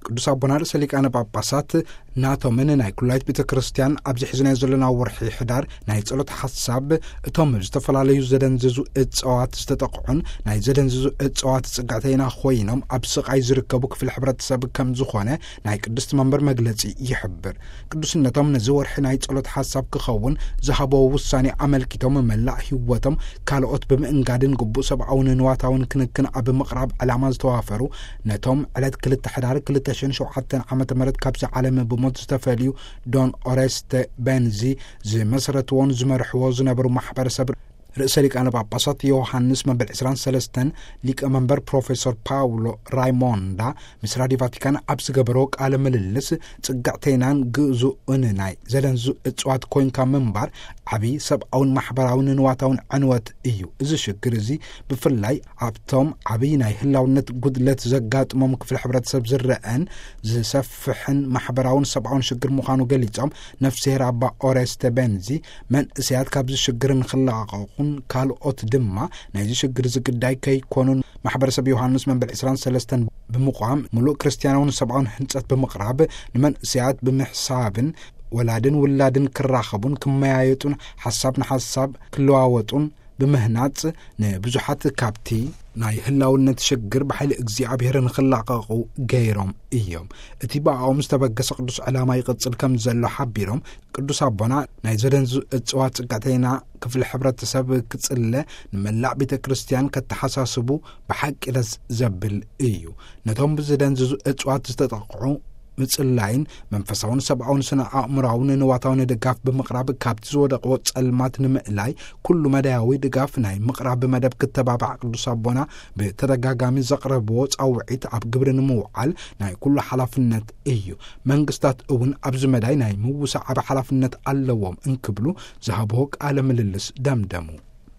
ቅዱስ ኣቦና ርእሰ ሊቃነ ጳጳሳት ናቶምን ናይ ኩላይት ቤተ ክርስቲያን ኣብዚ ሒዝናዮ ዘለና ወርሒ ሕዳር ናይ ጸሎት ሓሳብ እቶም ዝተፈላለዩ ዘደንዝዙ እጽዋት ዝተጠቕዑን ናይ ዘደንዝዙ እጽዋት ጽግዕተይና ኮይኖም ኣብ ስቓይ ዝርከቡ ክፍሊ ሕብረተሰብ ከም ዝኾነ ናይ ቅድስቲ መንበር መግለጺ ይሕብር። ቅዱስነቶም ነዚ ወርሒ ናይ ጸሎት ሓሳብ ክኸውን ዝሃበዎ ውሳኔ ኣመልኪቶም መላእ ህይወቶም ካልኦት ብምእንጋድን ግቡእ ሰብኣውን ንዋታውን ክንክን ኣብ ምቕራብ ዕላማ ዝተዋፈሩ ነቶም ዕለት ክልተ ሕዳር ክልተ ሽሕን ሸውዓተን ዓመተ ምህረት ካብዚ ዓለም ብሞት ዝተፈልዩ ዶን ኦሬስተ ቤንዚ ዝመስረትዎን ዝመርሕዎ ዝነበሩ ማሕበረሰብ ርእሰ ሊቃነ ጳጳሳት ዮሃንስ መበል ዕስራን ሰለስተን ሊቀ መንበር ፕሮፌሰር ፓውሎ ራይሞንዳ ምስ ራዲዮ ቫቲካን ኣብ ዝገበሮ ቃለ ምልልስ ጽግዕተይናን ግዙእን ናይ ዘደንዙ እጽዋት ኮይንካ ምንባር ዓብዪ ሰብኣውን ማሕበራውን ንዋታውን ዕንወት እዩ። እዚ ሽግር እዚ ብፍላይ ኣብቶም ዓብዪ ናይ ህላውነት ጉድለት ዘጋጥሞም ክፍሊ ሕብረተሰብ ዝረአን ዝሰፍሕን ማሕበራውን ሰብኣውን ሽግር ምዃኑ ገሊጾም፣ ነፍስሄር ኣባ ኦሬስተ ቤንዚ መንእሰያት ካብዚ ሽግር ንኽለቓቐቑን ካልኦት ድማ ናይዚ ሽግር እዚ ግዳይ ከይኮኑን ማሕበረሰብ ዮሃንስ መበል ዕስራን ሰለስተን ብምቋም ምሉእ ክርስትያናውን ሰብኣውን ህንጸት ብምቕራብ ንመንእሰያት ብምሕሳብን ወላድን ውላድን ክራኸቡን ክመያየጡን ሓሳብ ንሓሳብ ክለዋወጡን ብምህናጽ ንብዙሓት ካብቲ ናይ ህላውነት ሽግር ብሓይሊ እግዚኣብሔር ንኽላቐቑ ገይሮም እዮም። እቲ ብኣኦም ዝተበገሰ ቅዱስ ዕላማ ይቕጽል ከም ዘሎ ሓቢሮም፣ ቅዱስ ኣቦና ናይ ዘደንዙ እጽዋት ጽግዕተይና ክፍሊ ሕብረተሰብ ክጽለ ንመላእ ቤተ ክርስቲያን ከተሓሳስቡ ብሓቂ ደስ ዘብል እዩ። ነቶም ብዘደንዝዙ እጽዋት ዝተጠቕዑ ምጽላይን መንፈሳውን ሰብኣውን ስነ ኣእምራውን ንዋታውን ድጋፍ ብምቕራብ ካብቲ ዝወደቕዎ ጸልማት ንምእላይ ኩሉ መዳያዊ ድጋፍ ናይ ምቕራብ መደብ ክተባባዕ ቅዱስ ኣቦና ብተደጋጋሚ ዘቕረብዎ ጻውዒት ኣብ ግብሪ ንምውዓል ናይ ኩሉ ሓላፍነት እዩ። መንግስታት እውን ኣብዚ መዳይ ናይ ምውሳዕ ዓቢ ሓላፍነት ኣለዎም እንክብሉ ዝሃብዎ ቃለ ምልልስ ደምደሙ።